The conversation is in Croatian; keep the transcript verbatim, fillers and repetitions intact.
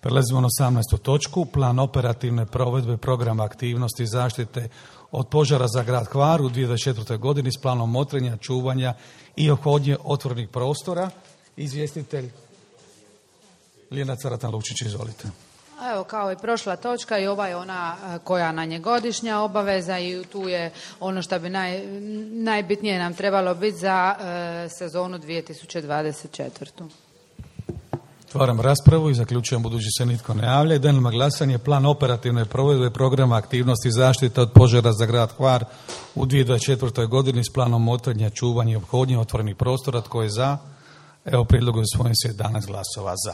Prelazimo na osamnaestu točku, plan operativne provedbe programa aktivnosti zaštite od požara za grad Hvar u dvije tisuće dvadeset četvrtoj. godini s planom motrenja, čuvanja i ophodnje otvorenih prostora. Izvjestitelj Ljiljana Caratan-Lučić, izvolite. Evo, kao i prošla točka, i ova je ona koja nam je godišnja obaveza i tu je ono što bi naj, najbitnije nam trebalo biti za e, sezonu dvije tisuće dvadeset četvrtu. Otvaram raspravu i zaključujem budući se nitko ne javlja. Dajem na glasanje plan operativne provedbe programa aktivnosti zaštite od požara za grad Hvar u dvije tisuće dvadeset četvrtoj. godini s planom motrenja, čuvanja i ophodnje otvorenih prostora. Tko je za? Evo, prijedlog je usvojen s jedanaest glasova za.